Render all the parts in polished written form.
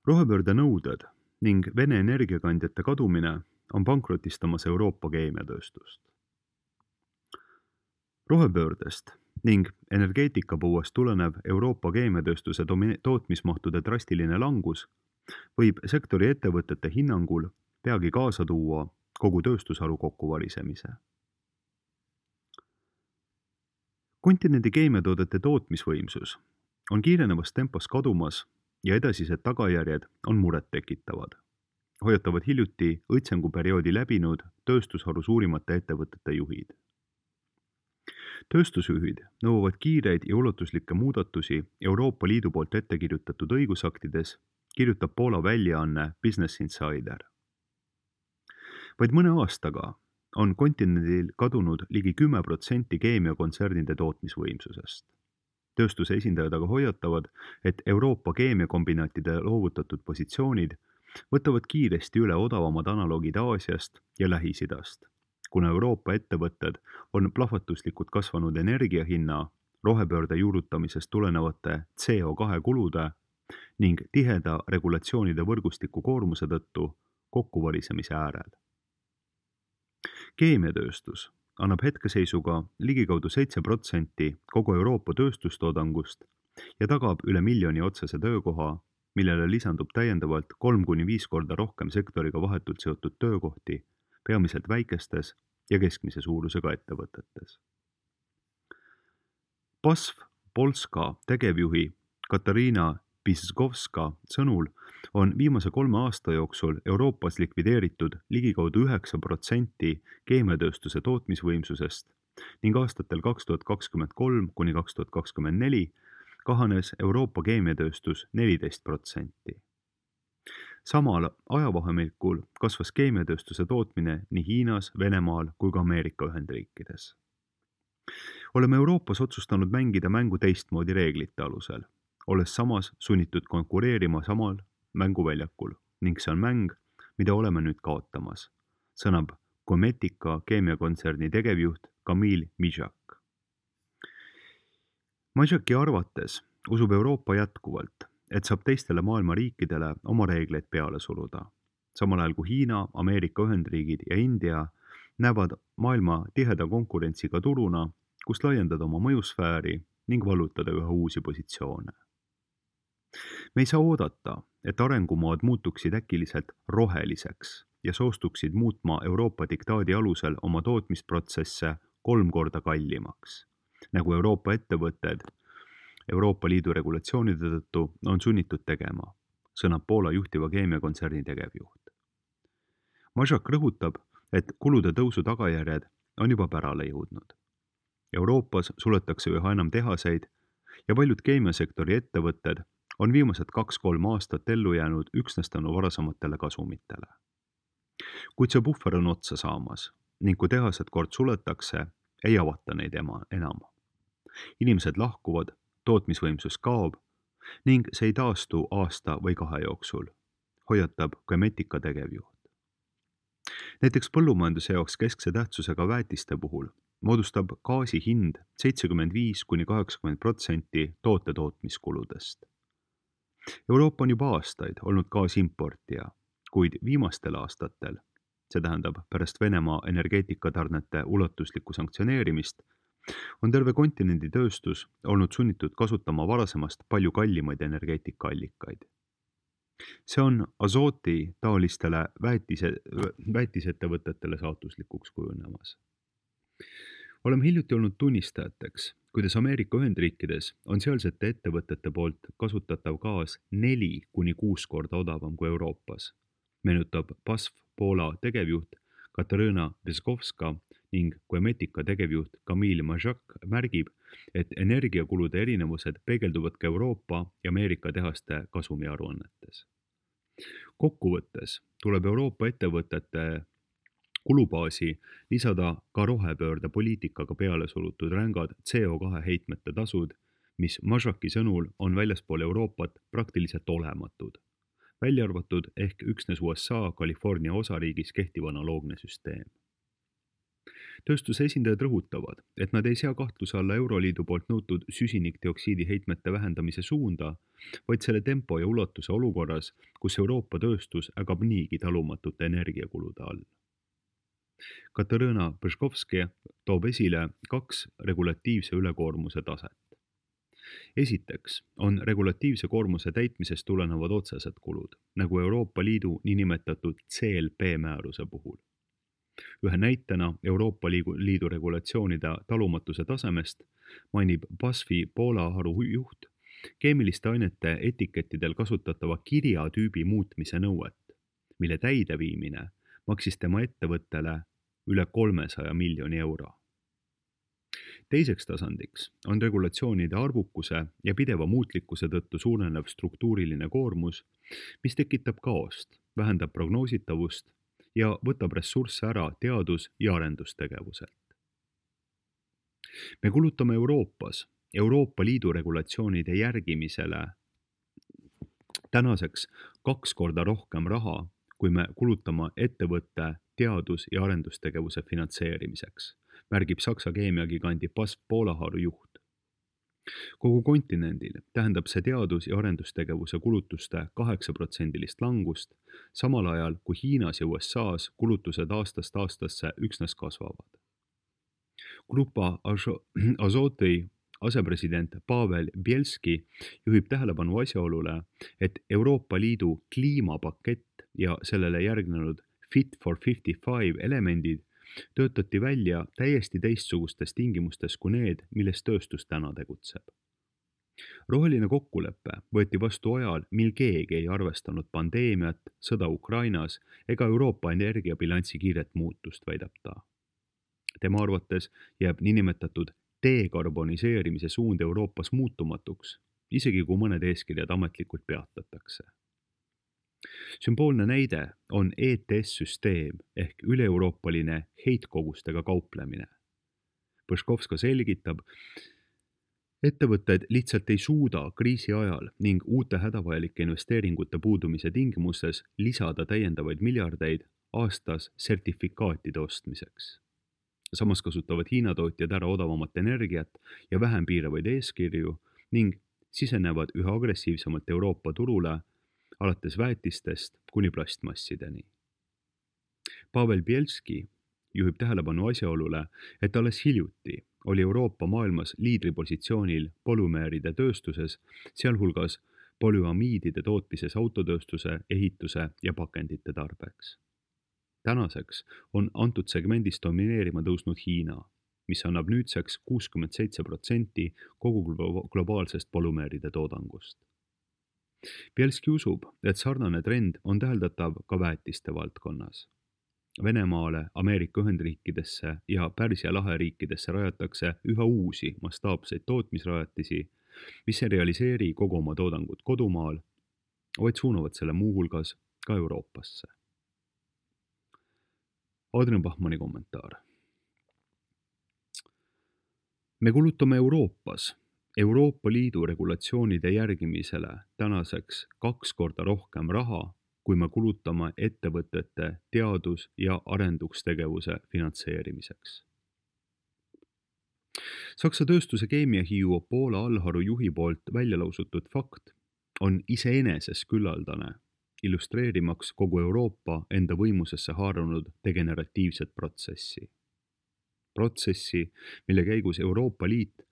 Rohepöörde nõuded ning Vene energiakandjate kadumine on pankrotistamas Euroopa keemiatööstust. Rohepöördest ning energeetikapõuest tulenev Euroopa keemiatööstuse tootmismahtude drastiline langus võib sektori ettevõtete hinnangul peagi kaasa tuua kogu tööstusharu kokkuvarisemise. Kontinendi keemiatoodete tootmisvõimsus on kiirenevas tempos kadumas ja edasised tagajärjed on muret tekitavad, hoiatavad hiljuti õitsenguperioodi läbinud tööstusharu suurimate ettevõtete juhid. Tööstusjuhid nõuavad kiireid ja ulatuslikke muudatusi Euroopa Liidu poolt ette kirjutatud õigusaktides, kirjutab Poola väljaanne Business Insider. Vaid mõne aastaga on kontinendil kadunud ligi 10% keemiakontsernide tootmisvõimsusest. Tööstuse esindajad aga hoiatavad, et Euroopa keemiakombinaatide loovutatud positsioonid võtavad kiiresti üle odavamad analoogid Aasiast ja Lähis-Idast, kuna Euroopa ettevõtted on plahvatuslikult kasvanud energiahinna, rohepöörde juurutamisest tulenevate CO2 kulude ning tiheda regulatsioonide võrgustiku koormuse tõttu kokkuvarisemise äärel. Keemiatööstus annab hetkeseisuga ligikaudu 7% kogu Euroopa tööstustoodangust ja tagab üle 1 miljoni otsese töökoha, millele lisandub täiendavalt 3-5 korda rohkem sektoriga vahetult seotud töökohti, peamiselt väikestes ja keskmise suurusega ettevõtetes. BASF Polska tegevjuhi Katarina Piskovska sõnul on viimase 3 aasta jooksul Euroopas likvideeritud ligikaudu 9% keemiatööstuse tootmisvõimsusest ning aastatel 2023–2024 kahanes Euroopa keemiatööstus 14%. Samal ajavahemikul kasvas keemiatööstuse tootmine nii Hiinas, Venemaal kui ka Ameerika Ühendriikides. Oleme Euroopas otsustanud mängida mängu teistmoodi reeglite alusel, olles samas sunnitud konkureerima samal mänguväljakul ning see on mäng, mida oleme nüüd kaotamas, sõnab Gometica keemiakontserni tegevjuht Kamil Mijak. Mijaki arvates usub Euroopa jätkuvalt, et saab teistele maailma riikidele oma reegleid peale suruda, samal ajal kui Hiina, Ameerika Ühendriigid ja India näevad maailma tiheda konkurentsiga turuna, kus laiendada oma mõjusfääri ning vallutada üha uusi positsioone. Me ei saa oodata, et arengumaad muutuksid äkiliselt roheliseks ja soostuksid muutma Euroopa diktaadi alusel oma tootmisprotsesse 3 korda kallimaks, nagu Euroopa ettevõtted Euroopa Liidu regulatsioonide tõttu on sunnitud tegema, sõnab Poola juhtiva keemiakontserni tegevjuht. Majak rõhutab, et kulude tõusu tagajärjed on juba pärale jõudnud. Euroopas suletakse üha enam tehaseid ja paljud keemiasektori ettevõtted on viimased 2-3 aastat ellu jäänud üksnes tänu varasematele kasumitele. Kuid see puhver on otsa saamas ning kui tehased kord suletakse, ei avata neid enam. Inimesed lahkuvad, tootmisvõimsus kaob ning see ei taastu aasta või 2 jooksul, hoiatab Gometica tegevjuht. Näiteks põllumajanduse jaoks keskse tähtsusega väetiste puhul moodustab gaasi hind 75-80% toote tootmiskuludest. Euroopa on juba aastaid olnud gaasimportija, kuid viimastel aastatel, see tähendab pärast Venemaa energeetikatarnete ulatuslikku sanktsioneerimist, on terve kontinendi tööstus olnud sunnitud kasutama varasemast palju kallimaid energeetikaallikaid. See on Azooti taolistele väetisettevõtetele saatuslikuks kujunemas. Oleme hiljuti olnud tunnistajateks, kuidas Ameerika Ühendriikides on sealsete ettevõtete poolt kasutatav gaas 4-6 korda odavam kui Euroopas, meenutab BASF Poola tegevjuht Katarina Piskovska ning Gometica tegevjuht Kamil Mijak märgib, et energiakulude erinevused peegelduvad ka Euroopa ja Ameerika tehaste kasumiaruannetes. Kokkuvõttes tuleb Euroopa ettevõtete kulubaasi lisada ka rohepöörde poliitikaga peale surutud rängad CO2 heitmete tasud, mis Mijaki sõnul on väljaspool Euroopat praktiliselt olematud, välja arvatud ehk üksnes USA California osariigis kehtiv analoogne süsteem. Tööstuse esindajad rõhutavad, et nad ei sea kahtluse alla Euroliidu poolt nõutud süsinikdioksiidi heitmete vähendamise suunda, vaid selle tempo ja ulatuse olukorras, kus Euroopa tööstus ägab niigi talumatute energiakulude all. Katarina Põškovski toob esile 2 regulatiivse ülekoormuse taset. Esiteks on regulatiivse koormuse täitmisest tulenevad otsesed kulud, nagu Euroopa Liidu niinimetatud CLP määruse puhul. Ühe näitena Euroopa Liidu regulatsioonide talumatuse tasemest mainib BASF-i Poola haru juht keemiliste ainete etikettidel kasutatava kirjatüübi muutmise nõuet, mille täideviimine maksis tema ettevõttele üle 300 miljoni euro. Teiseks tasandiks on regulatsioonide arvukuse ja pideva muutlikkuse tõttu suurenev struktuuriline koormus, mis tekitab kaost, vähendab prognoositavust ja võtab ressursse ära teadus- ja arendustegevuselt. Me kulutame Euroopas Euroopa Liidu regulatsioonide järgimisele tänaseks 2 korda rohkem raha, kui me kulutame ettevõtte teadus- ja arendustegevuse finantseerimiseks, märgib Saksa keemiagigandi BASF Poola haru juht. Kogu kontinendil tähendab see teadus- ja arendustegevuse kulutuste 8% langust, samal ajal kui Hiinas ja USAs kulutused aastast aastasse üksnes kasvavad. Grupa Azotõi asepresident Pavel Bielski juhib tähelepanu asjaolule, et Euroopa Liidu kliimapakett ja sellele järgnenud Fit for 55 elemendid töötati välja täiesti teistsugustes tingimustes kui need, milles tööstus täna tegutseb. Roheline kokkulepe võeti vastu ajal, mil keegi ei arvestanud pandeemiat, sõda Ukrainas ega Euroopa energiabilansi kiiret muutust, väidab ta. Tema arvates jääb niinimetatud dekarboniseerimise suund Euroopas muutumatuks, isegi kui mõned eeskirjad ametlikult peatatakse. Sümboolne näide on ETS-süsteem ehk üle-euroopaline heitkogustega kauplemine. Põškovska selgitab, ettevõtted lihtsalt ei suuda kriisi ajal ning uute hädavajalike investeeringute puudumise tingimustes lisada täiendavaid miljardeid aastas sertifikaatide ostmiseks. Samas kasutavad Hiina tootjad ära odavamat energiat ja vähem piiravaid eeskirju ning sisenevad üha agressiivsemalt Euroopa turule, alates väetistest kuni plastmassideni. Pavel Bielski juhib tähelepanu asjaolule, et alles hiljuti oli Euroopa maailmas liidripositsioonil polümeeride tööstuses, sealhulgas polüamiidide tootmises autotööstuse, ehituse ja pakendite tarbeks. Tänaseks on antud segmendis domineerima tõusnud Hiina, mis annab nüüdseks 67% kogu globaalsest polümeeride toodangust. Bielski usub, et sarnane trend on täheldatav ka väetiste valdkonnas. Venemaale, Ameerika Ühendriikidesse ja Pärsia lahe riikidesse rajatakse üha uusi mastaapseid tootmisrajatisi, mis ei realiseeri kogu oma toodangut kodumaal, vaid suunavad selle muuhulgas ka Euroopasse. Adrian Bachmanni kommentaar. Me kulutame Euroopas Euroopa Liidu regulatsioonide järgimisele tänaseks 2 korda rohkem raha, kui me kulutame ettevõtete teadus- ja arendustegevuse finantseerimiseks. Saksa tööstuse keemiahiiu Poola allharu juhi poolt välja lausutud fakt on iseeneses küllaldane, illustreerimaks kogu Euroopa enda võimusesse haarunud degeneratiivset protsessi. Protsessi, mille käigus Euroopa Liit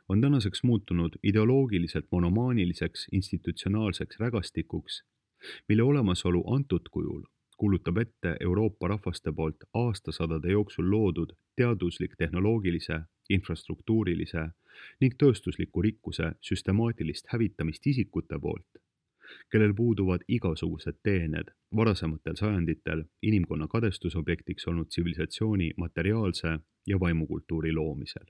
on tänaseks muutunud ideoloogiliselt monomaaniliseks institutsionaalseks rägastikuks, mille olemasolu antud kujul kuulutab ette Euroopa rahvaste poolt aastasadade jooksul loodud teaduslik, tehnoloogilise, infrastruktuurilise ning tööstusliku rikkuse süstemaatilist hävitamist isikute poolt, kellel puuduvad igasugused teened varasematel sajanditel inimkonna kadestusobjektiks olnud tsivilisatsiooni materiaalse ja vaimukultuuri loomisel.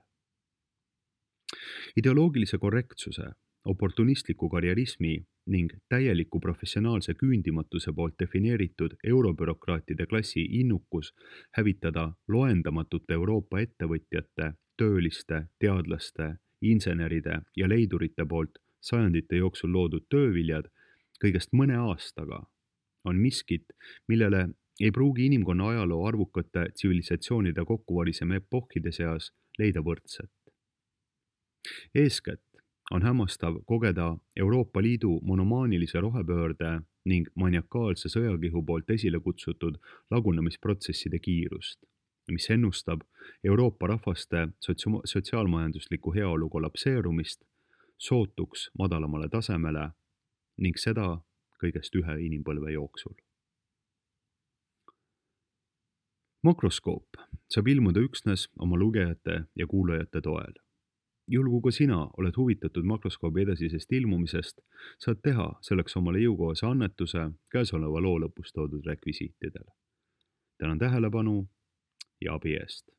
Ideoloogilise korrektsuse, oportunistliku karjerismi ning täieliku professionaalse küündimatuse poolt defineeritud eurobürokraatide klassi innukus hävitada loendamatute Euroopa ettevõtjate, tööliste, teadlaste, inseneride ja leidurite poolt sajandite jooksul loodud tööviljad kõigest mõne aastaga on miskit, millele ei pruugi inimkonna ajaloo arvukate tsivilisatsioonide kokkuvarisemise epohhide seas leida võrdset. Eeskätt on hämmastav kogeda Euroopa Liidu monomaanilise rohepöörde ning maniakaalse sõjakihu poolt esile kutsutud lagunemisprotsesside kiirust, mis ennustab Euroopa rahvaste sotsiaalmajandusliku heaolu kollapseerumist sootuks madalamale tasemele ning seda kõigest ühe inimpõlve jooksul. Makroskoop saab ilmuda üksnes oma lugejate ja kuulajate toel. Juhul kui ka sina oled huvitatud makroskoobi edasisest ilmumisest, saad teha selleks omale jõukohase annetuse käesoleva loo lõpus toodud rekvisiitidele. Tänan tähelepanu ja abi eest!